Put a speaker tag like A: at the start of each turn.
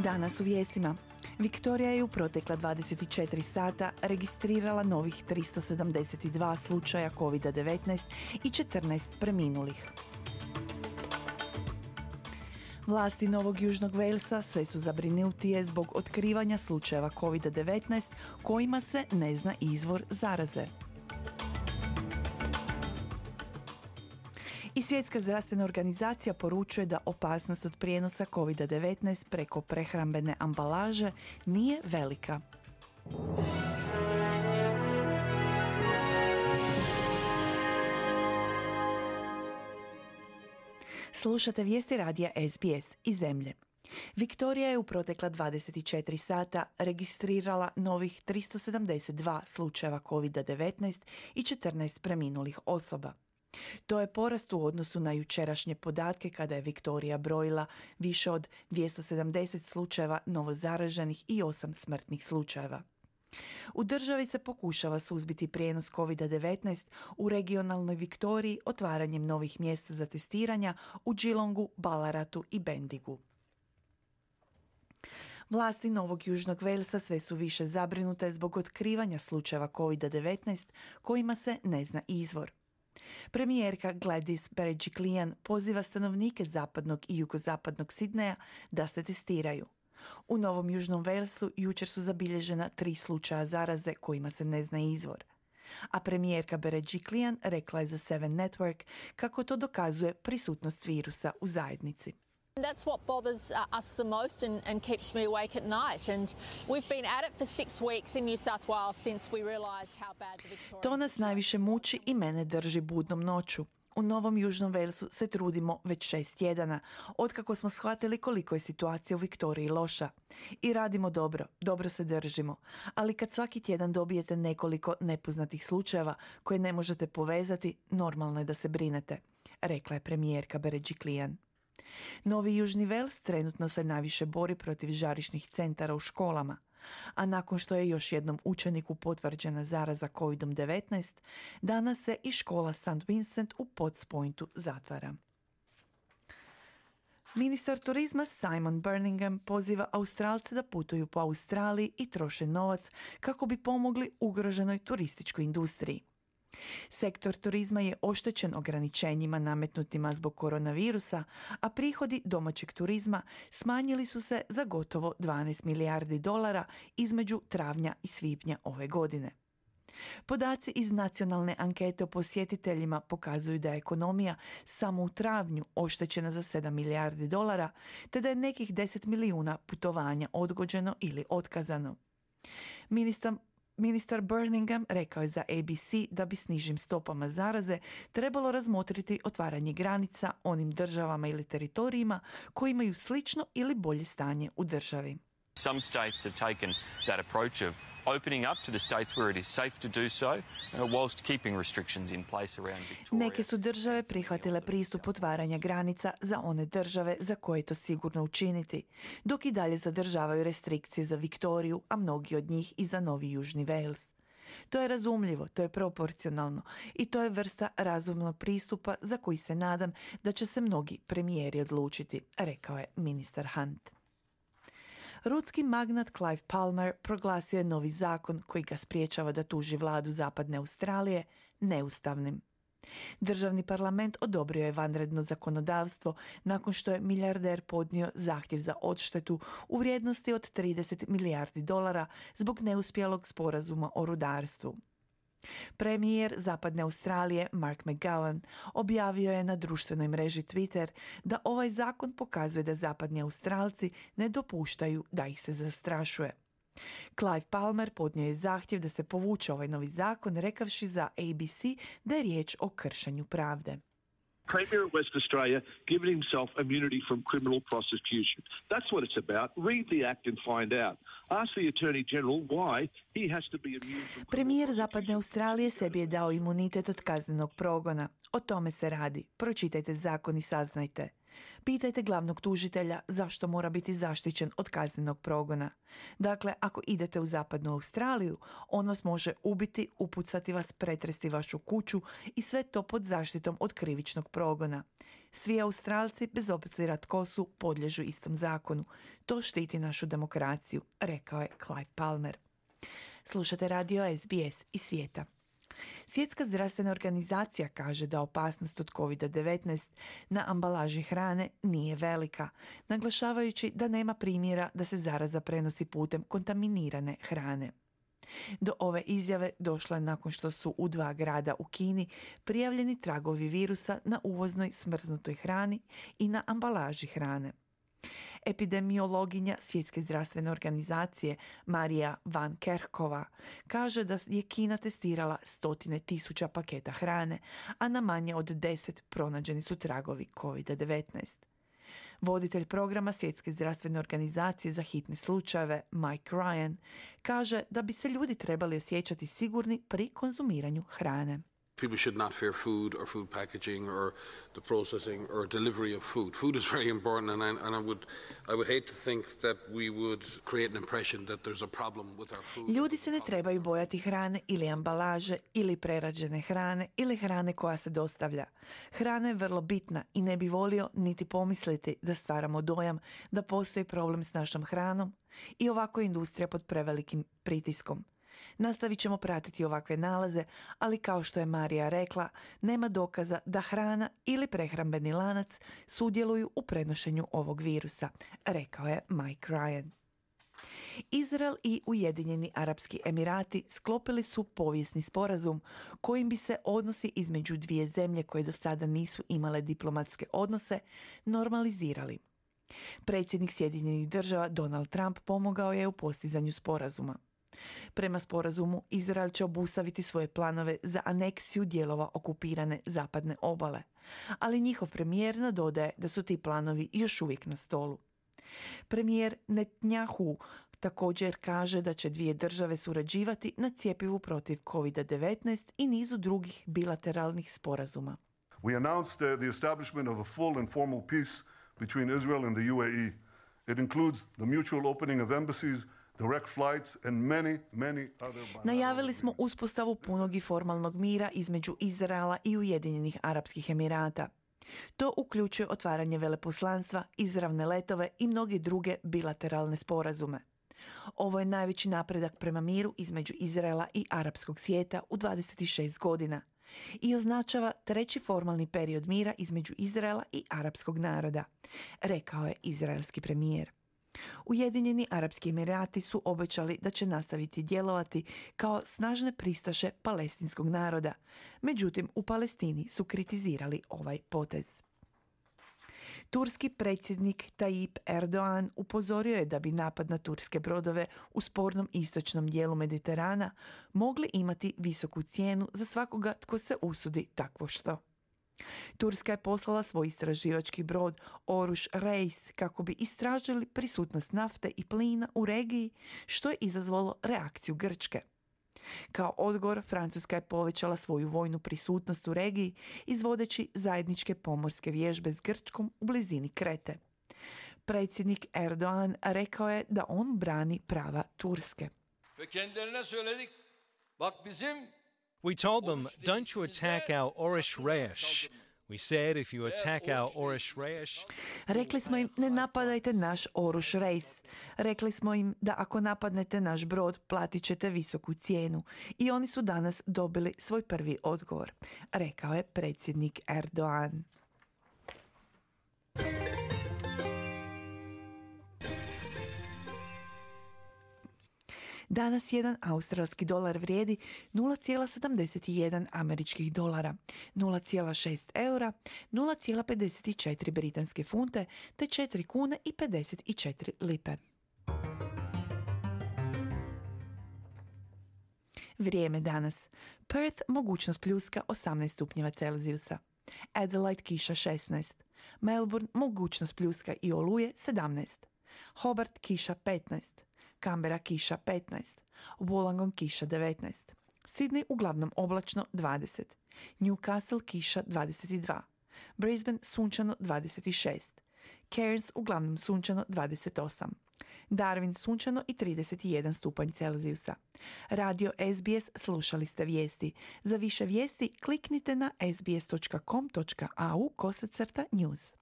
A: Danas u vijestima. Viktorija je u protekla 24 sata registrirala novih 372 slučaja COVID-19 i 14 preminulih. Vlasti Novog Južnog Walesa sve su zabrinutije zbog otkrivanja slučajeva COVID-19 kojima se ne zna izvor zaraze. I Svjetska zdravstvena organizacija poručuje da opasnost od prijenosa COVID-19 preko prehrambene ambalaže nije velika. Slušate vijesti radija SBS iz zemlje. Viktorija je u protekla 24 sata registrirala novih 372 slučajeva COVID-19 i 14 preminulih osoba. To je porast u odnosu na jučerašnje podatke kada je Viktorija brojila više od 270 slučajeva novozaraženih i 8 smrtnih slučajeva. U državi se pokušava suzbiti prijenos COVID-19 u regionalnoj Viktoriji otvaranjem novih mjesta za testiranja u Geelongu, Ballaratu i Bendigu. Vlasti Novog Južnog Walesa sve su više zabrinute zbog otkrivanja slučajeva COVID-19 kojima se ne zna izvor. Premijerka Gladys Berejiklian poziva stanovnike zapadnog i jugozapadnog Sidneja da se testiraju. U Novom Južnom Walesu jučer su zabilježena 3 slučaja zaraze kojima se ne zna izvor. A premijerka Berejiklian rekla je za Seven Network kako to dokazuje prisutnost virusa u zajednici.
B: That's what bothers us the most and keeps me awake at night. And we've been at it for 6 weeks in New South Wales since we realised how bad the Victorian...
A: To nas najviše muči i mene drži budnom noću. U Novom Južnom Walesu se trudimo već 6 tjedana, otkako smo shvatili koliko je situacija u Viktoriji loša. I radimo dobro se držimo. Ali kad svaki tjedan dobijete nekoliko nepoznatih slučajeva koje ne možete povezati, normalno je da se brinete, rekla je premijerka Berejiklian. Novi Južni Wales trenutno se najviše bori protiv žarišnih centara u školama, a nakon što je još jednom učeniku potvrđena zaraza COVID-19, danas se i škola St. Vincent u Potts Pointu zatvara. Ministar turizma Simon Birmingham poziva Australce da putuju po Australiji i troše novac kako bi pomogli ugroženoj turističkoj industriji. Sektor turizma je oštećen ograničenjima nametnutima zbog koronavirusa, a prihodi domaćeg turizma smanjili su se za gotovo 12 milijardi dolara između travnja i svibnja ove godine. Podaci iz nacionalne ankete o posjetiteljima pokazuju da je ekonomija samo u travnju oštećena za 7 milijardi dolara, te da je nekih 10 milijuna putovanja odgođeno ili otkazano. Ministar Birmingham rekao je za ABC da bi s nižim stopama zaraze trebalo razmotriti otvaranje granica onim državama ili teritorijima koji imaju slično ili bolje stanje u državi.
C: Some states have taken that approach of opening up to the states where it is safe to do so, whilst keeping restrictions in place around Victoria.
A: Neke su države prihvatile pristup otvaranja granica za one države za koje je to sigurno učiniti, dok i dalje zadržavaju restrikcije za Viktoriju, a mnogi od njih i za Novi Južni Wales. To je razumljivo, to je proporcionalno i to je vrsta razumnog pristupa za koji se nadam da će se mnogi premijeri odlučiti, rekao je ministar Hunt. Rudski magnat Clive Palmer proglasio je novi zakon koji ga spriječava da tuži vladu Zapadne Australije neustavnim. Državni parlament odobrio je vanredno zakonodavstvo nakon što je milijarder podnio zahtjev za odštetu u vrijednosti od 30 milijardi dolara zbog neuspjelog sporazuma o rudarstvu. Premijer Zapadne Australije Mark McGowan objavio je na društvenoj mreži Twitter da ovaj zakon pokazuje da zapadni Australci ne dopuštaju da ih se zastrašuje. Clive Palmer podnio je zahtjev da se povuče ovaj novi zakon, rekavši za ABC da je riječ o kršenju pravde.
D: Premier of West Australia giving himself immunity from criminal prosecution. That's what it's about. Read the act and find out. Ask the Attorney General why he has to be immune from...
A: Premijer Zapadne Australije sebi je dao imunitet od kaznenog progona. O tome se radi. Pročitajte zakon i saznajte. Pitajte glavnog tužitelja zašto mora biti zaštićen od kaznenog progona. Dakle, ako idete u zapadnu Australiju, on vas može ubiti, upucati vas, pretresti vašu kuću i sve to pod zaštitom od krivičnog progona. Svi Australci, bez obzira tko su, podliježu istom zakonu. To štiti našu demokraciju, rekao je Clive Palmer. Slušate radio SBS iz svijeta. Svjetska zdravstvena organizacija kaže da opasnost od COVID-19 na ambalaži hrane nije velika, naglašavajući da nema primjera da se zaraza prenosi putem kontaminirane hrane. Do ove izjave došlo je nakon što su u 2 grada u Kini prijavljeni tragovi virusa na uvoznoj smrznutoj hrani i na ambalaži hrane. Epidemiologinja Svjetske zdravstvene organizacije Marija Van Kerkhova kaže da je Kina testirala 100.000 paketa hrane, a na manje od 10 pronađeni su tragovi COVID-19. Voditelj programa Svjetske zdravstvene organizacije za hitne slučajeve Mike Ryan kaže da bi se ljudi trebali osjećati sigurni pri konzumiranju hrane.
E: People should not fear food or food packaging or the processing or delivery of food. Food is very important, and I would hate to think that we would create an impression that there's a problem with our food.
A: Ljudi se ne trebaju bojati hrane ili ambalaže ili prerađene hrane ili hrane koja se dostavlja. Hrana je vrlo bitna i ne bi volio niti pomisliti da stvaramo dojam da postoji problem s našom hranom i ovako je industrija pod prevelikim pritiskom. Nastavit ćemo pratiti ovakve nalaze, ali kao što je Marija rekla, nema dokaza da hrana ili prehrambeni lanac sudjeluju u prenošenju ovog virusa, rekao je Mike Ryan. Izrael i Ujedinjeni Arapski Emirati sklopili su povijesni sporazum kojim bi se odnosi između 2 zemlje koje do sada nisu imale diplomatske odnose normalizirali. Predsjednik Sjedinjenih Država Donald Trump pomogao je u postizanju sporazuma. Prema sporazumu, Izrael će obustaviti svoje planove za aneksiju dijelova okupirane zapadne obale, ali njihov premijer nadodaje da su ti planovi još uvijek na stolu. Premijer Netanyahu također kaže da će 2 države surađivati na cjepivu protiv COVID-19 i nizu drugih bilateralnih sporazuma.
F: We announced the establishment of a full and formal peace between Israel and the UAE. It includes the mutual opening of embassies, direct flights and many other.
A: Najavili smo uspostavu punog i formalnog mira između Izraela i Ujedinjenih Arapskih Emirata. To uključuje otvaranje veleposlanstva, izravne letove i mnoge druge bilateralne sporazume. Ovo je najveći napredak prema miru između Izraela i arapskog svijeta u 26 godina i označava 3. formalni period mira između Izraela i arapskog naroda, rekao je izraelski premijer. Ujedinjeni Arapski Emirati su obećali da će nastaviti djelovati kao snažne pristaše palestinskog naroda. Međutim, u Palestini su kritizirali ovaj potez. Turski predsjednik Tayyip Erdogan upozorio je da bi napad na turske brodove u spornom istočnom dijelu Mediterana mogli imati visoku cijenu za svakoga tko se usudi takvo što. Turska je poslala svoj istraživački brod Oruž Reis kako bi istražili prisutnost nafte i plina u regiji, što je izazvalo reakciju Grčke. Kao odgovor, Francuska je povećala svoju vojnu prisutnost u regiji izvodeći zajedniçke pomorske vježbe s Grčkom u blizini Krete. Predsjednik Erdogan rekao je da on brani prava Turske.
G: We told them, don't you attack our Oruž Reis. We said if you attack our Oruž Reis...
A: Rekli smo im, ne napadajte naš Oruž Reis. Rekli smo im da ako napadnete naš brod, platit ćete visoku cijenu. I oni su danas dobili svoj prvi odgovor, rekao je predsjednik Erdogan. Danas jedan australski dolar vrijedi 0,71 američkih dolara, 0,6 eura, 0,54 britanske funte te 4 kune i 54 lipe. Vrijeme danas. Perth mogućnost pljuska 18 stupnjeva Celzijusa. Adelaide kiša 16. Melbourne mogućnost pljuska i oluje 17. Hobart kiša 15. Canberra kiša 15, Wollongong kiša 19, Sydney uglavnom oblačno 20, Newcastle kiša 22, Brisbane sunčano 26, Cairns uglavnom sunčano 28, Darwin sunčano i 31 stupanj Celzijusa. Radio SBS slušali ste vijesti. Za više vijesti kliknite na sbs.com.au/news.